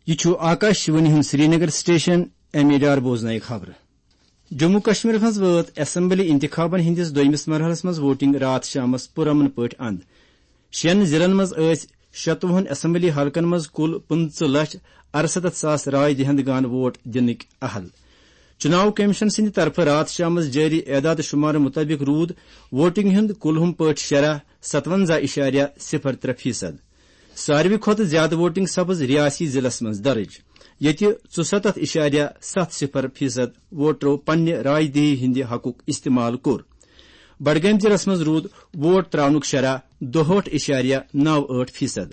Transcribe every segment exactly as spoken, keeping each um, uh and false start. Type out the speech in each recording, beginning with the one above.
یہِ چھُ آکاش وانی ہُنٛد Srinagar station, M A Dar بوزنٲیِو خبرٕ۔ جموں کشمیرس منٛز وٲژ اسمبلی انتخابن ہٕنٛدِس دوٚیمِس مرحلس منٛز ووٹنگ راتھ شامس پُرامن پٲٹھۍ اند۔ شٮ۪ن ضلعن منٛز ٲسۍ شتوُہن اسمبلی حلقن منٛز کُل پٕنٛژٕہ لچھ ارستتھ ساس راے دہندگان ووٹ دِنٕکۍ اہل۔ چُناو کمیشن سٕنٛدِ طرفہٕ راتھ شامس جٲری اعداد شُمارٕ مُطٲبِق روٗد ووٹنگ ہُنٛد کُلہُم پٲٹھۍ شرح ستونزہ اِشاریہ صفر ترٛےٚ فیصد۔ ساروی کھۄتہٕ زیادٕ ووٹنگ سپٕز ریاسی ضلعس منٛز درٕج، ییٚتہِ ژُستتھ اِشاریہ ستھ صفر فیصد ووٹرو پننہِ راے دہی ہٕنٛدِ حقُک استعمال کوٚر۔ بڈگٲمۍ ضلعس منٛز روٗد ووٹ تراونُک شرح دُہٲٹھ اِشاریہ نو ٲٹھ فیصد۔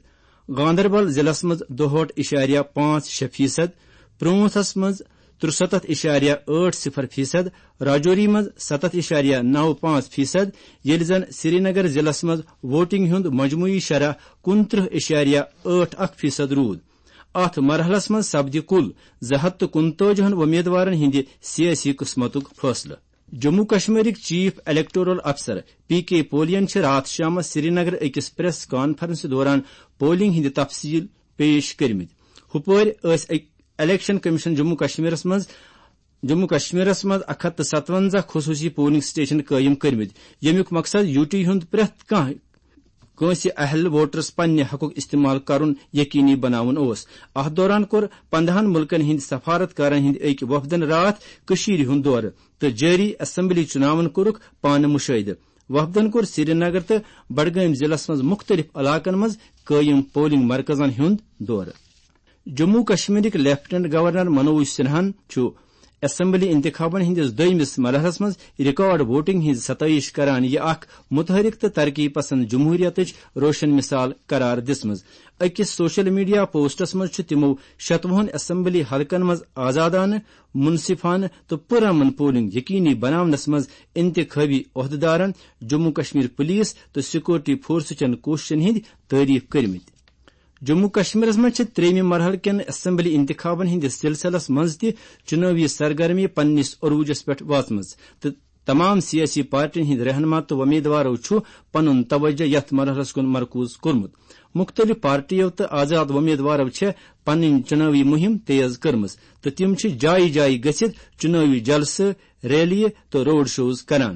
گاندربل ضلعس منٛز دُہٲٹھ اِشاریہ پانٛژھ شےٚ فیصد، پرونتھس منٛز ترُستتھ اِشاریہ ٲٹھ صفر فیصد، راجوری منٛز ستتھ اِشاریہ نو پانٛژھ فیصد، ییٚلہِ زن سرینگر ضلعس منٛز ووٹنگ ہُنٛد مجموعی شرح کُنترٕہ اِشاریہ ٲٹھ اکھ فیصد روٗد۔ اتھ مرحلس منٛز سپدِ کُل زٕ ہتھ تہٕ کُنتٲجی ہن وۄمیدوارن ہٕنٛدِ سیٲسی قٕسمتُک فٲصلہٕ۔ جموں کشمیرٕکۍ چیف الیکٹورل افسر پی کے پولین چھِ راتھ شامس سرینگر أکِس پریس کانفرنسہِ دوران پولنگ ہٕنٛدۍ تفصیل پیش کٔرمٕتۍ۔ ہُپٲرۍ ٲسۍ أکۍ الیکشن کمیشن جموں کشمیرس منٛز، جموں کشمیرس منٛز اکھ ہتھ تہٕ ستونزہ خصوٗصی پولنگ سٹیشن قٲیِم کٔرمٕتۍ، ییٚمیُک مقصد یوٗ ٹی ہُنٛد پرٛٮ۪تھ کانٛہہ کٲنٛسہِ اہل ووٹرس پننہِ حقُک استعمال کرُن یقینی بناوُن اوس۔ اتھ دوران کوٚر پندہن مُلکن ہٕنٛدۍ سفارت کارن ہٕنٛدۍ أکۍ وفدن راتھ کٔشیٖرِ ہُنٛد دورٕ تہٕ جٲری اسمبلی چُناون کوٚرُکھ پانہٕ مُشٲہدٕ۔ وفدن کوٚر سرینگر تہٕ بڈگٲمۍ ضلعس منٛز مُختٔلِف علاقن منٛز قٲیِم پولنگ مرکزن ہُنٛد دورٕ۔ جموں کشمیرٕکۍ لیفٹیننٹ گورنر منوج سنہاہن چھُ اسمبلی انتخابن ہٕنٛدِس دوٚیمِس مرحلس منٛز ریکارڈ ووٹنگ ہٕنٛز ستٲیِش کران یہِ اکھ متحرک تہٕ ترقی پسند جمہوریتٕچ روشن مثال قرار دِژمٕژ۔ أکِس سوشل میڈیا پوسٹس منٛز چھُ تِمو شتوُہن اسمبلی حلقن منٛز آزادانہٕ، منصفانہٕ تہٕ پُرامن پولنگ یقینی بناونس منٛز انتخابی عہدٕدارن، جموں کشمیر پولیس تہٕ سیکورٹی فورسہٕ چٮ۪ن کوٗششن ہٕنٛدۍ تعریف کٔرمٕتۍ۔ جموں کشمیرس منٛز چھِ ترٛیٚیمہِ مرحلہٕ کٮ۪ن اسمبلی انتخابن ہٕنٛدِس سلسلس منٛز تہِ چُنٲوی سرگرمی پننِس عروجس پٮ۪ٹھ وٲژمٕژ تہٕ تمام سیٲسی پارٹین ہٕنٛدۍ رہنما تہٕ وۄمیدوارو چھُ پنُن توجہ یتھ مرحلس کُن مرکوز کوٚرمُت۔ مُختٔلِف پارٹیو تہٕ آزاد وۄمیدوارو چھےٚ پنٕنۍ چُنٲوی مُہِم تیز کٔرمٕژ تہٕ تِم چھِ جایہِ جایہِ گٔژھِتھ چُنٲوی جلسہٕ، ریلیہِ تہٕ روڈ شوز کران۔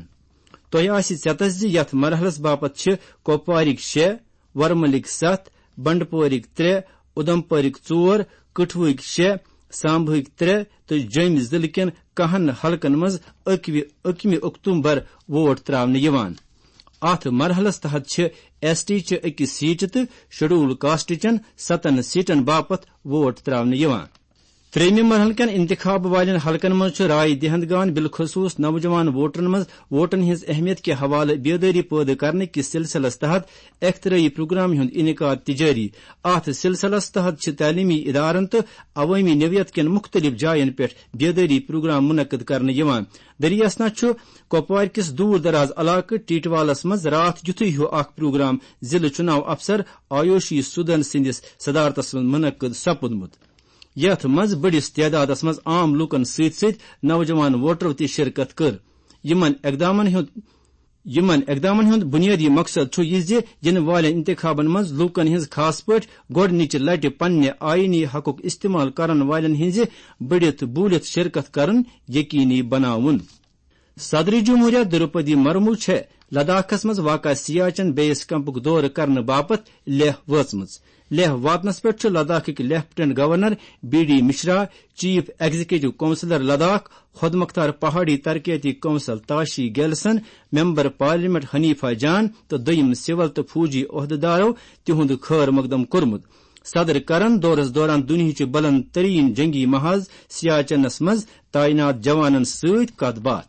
تۄہہِ آسہِ ژٮ۪تس زِ یتھ مرحلس باپتھ چھِ کۄپوارٕکۍ شےٚ، ورمُلٕکۍ ستھ، بنڈپورٕکۍ ترٛےٚ، اُدمپورٕکۍ ژور، کٹھوٕکۍ شےٚ، سامبہٕکۍ ترٛےٚ تہٕ جوٚمۍ ضلعہٕ کٮ۪ن کاہن حلقن منٛز اکوِ، اکمہِ اکتوبر ووٹ تراونہٕ یِوان۔ اتھ مرحلس تحت چھِ ایس ٹی چہِ أکِس سیٹہِ تہٕ شیڈول کاسٹ چٮ۪ن ستن سیٹن باپتھ ووٹ تراونہٕ یِوان۔ ترٛیٚیمہِ مرحلہٕ کٮ۪ن انتخاب والٮ۪ن حلقن منٛز چھُ راے دہندگان، بالخصوص نوجوان ووٹرن منٛز ووٹن ہٕنٛز اہمیت کہِ حوالہٕ بیدٲری پٲدٕ کرنہٕ کِس سلسلس تحت اختراعی پروگرام ہُنٛد انعقاد تہِ جٲری۔ اتھ سلسلس تحت چھِ تعلیمی ادارن تہٕ عوٲمی نوعیت کٮ۪ن مُختٔلِف جاین پٮ۪ٹھ بیدٲری پروگرام منعقد کرنہٕ یِوان۔ دٔریاسنا چھُ کۄپوارِ کِس دوٗر دراز علاقہٕ ٹیٹوالس منٛز راتھ یُتھُے ہیوٗ اکھ پروگرام ضلعہٕ چُناو افسر آیوشی سودن سٕنٛدِس صدارتس منٛز منعقد سپُدمُت، یتھ منٛز بٔڑِس تعدادس منٛز عام لوٗکن سۭتۍ سۭتۍ نوجوان ووٹرو تہِ شرکت کٔر۔ یِمن اقدامن ہُنٛد، یِمن اقدامن ہُنٛد بُنیٲدی مقصد چھُ یہِ زِ یِنہٕ والٮ۪ن انتخابن منٛز لوٗکن ہٕنٛز، خاص پٲٹھۍ گۄڈٕنِچہِ لٹہِ پننہِ آئینی حقُک استعمال کرن والٮ۪ن ہٕنٛزِ بٔڑِتھ بوٗلِتھ شرکت کرُن یقینی بناوُن۔ صدر جمہوریہ دروپدی مرمو چھےٚ لداخس منٛز واقع سیاچن بیس کیمپُک دورٕ کرنہٕ باپتھ لیہہ وٲژمٕژ۔ لیہہ واتنس پٮ۪ٹھ چھُ لداخٕکۍ lieutenant governor B D Mishra, chief executive councillor Ladakh, خود مختار پہاڑی ترقیتی council Tashi Gyalson, member parliament Hanifa Jan تہٕ دوٚیم سول تہٕ فوجی عہدٕدارو تِہُنٛد خٲر مقدم کوٚرمُت۔ صدر کرن دورس دوران دُنیہٕچہِ بلند ترین جنگی محاذ سیاچنس منٛز تعینات جوانن سۭتۍ کتھ باتھ۔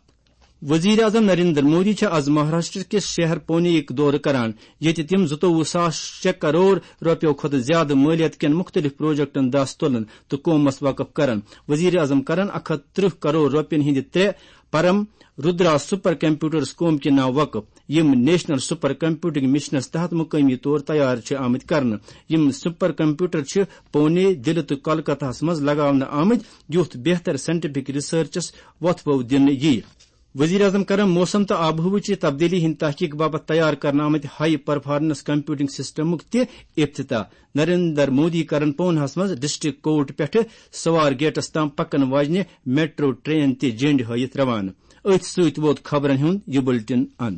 وزیر اعظم نریندر مودی چھِ از مہاراشٹر کِس شہر پونے یُک دورٕ کران، ییٚتہِ تِم زٕتووُہ ساس شےٚ کرور رۄپیو کھۄتہٕ زیادٕ مٲلیت کٮ۪ن مُختٔلِف پروجیکٹن دَس تُلن تہٕ قومس وقف کرن۔ وزیر اعظم کرن اکھ ہتھ ترٕہ کرور رۄپین ہٕنٛدِ ترٛےٚ پرم رودرا سپر کمپیوٹرز قوم کہِ ناو وقف، یِم نیشنل سپر کمپیوٹنگ مشنس تحت مقٲمی طور تیار چھِ آمٕتۍ کرنہٕ۔ یِم سپر کمپیوٹر چھِ پونے، دِلہِ تہٕ کولکتہس منٛز لگاونہٕ آمٕتۍ، یُتھ بہتر سائنٹیفک ریسرچس وۄتھٕ بو دِنہٕ یِیہِ۔ وزیر اعظم کرن موسم تہٕ آب و ہوہٕچہِ تبدیلی ہٕنٛدِ تحقیق باپتھ تیار کرنہٕ آمٕتۍ ہائی پرفارمنس کمپیوٹنگ سسٹمُک تہِ افتتاح۔ نریندر مودی کرن پوناہس منٛز ڈسٹرکٹ کورٹ پٮ۪ٹھٕ سوار گیٹس تام پکن واجنہِ میٹرو ٹرین تہِ جنڈِ ہٲوِتھ روانہٕ۔ أتھۍ سۭتۍ ووت خبرن ہُنٛد یہِ بُلٹن اند۔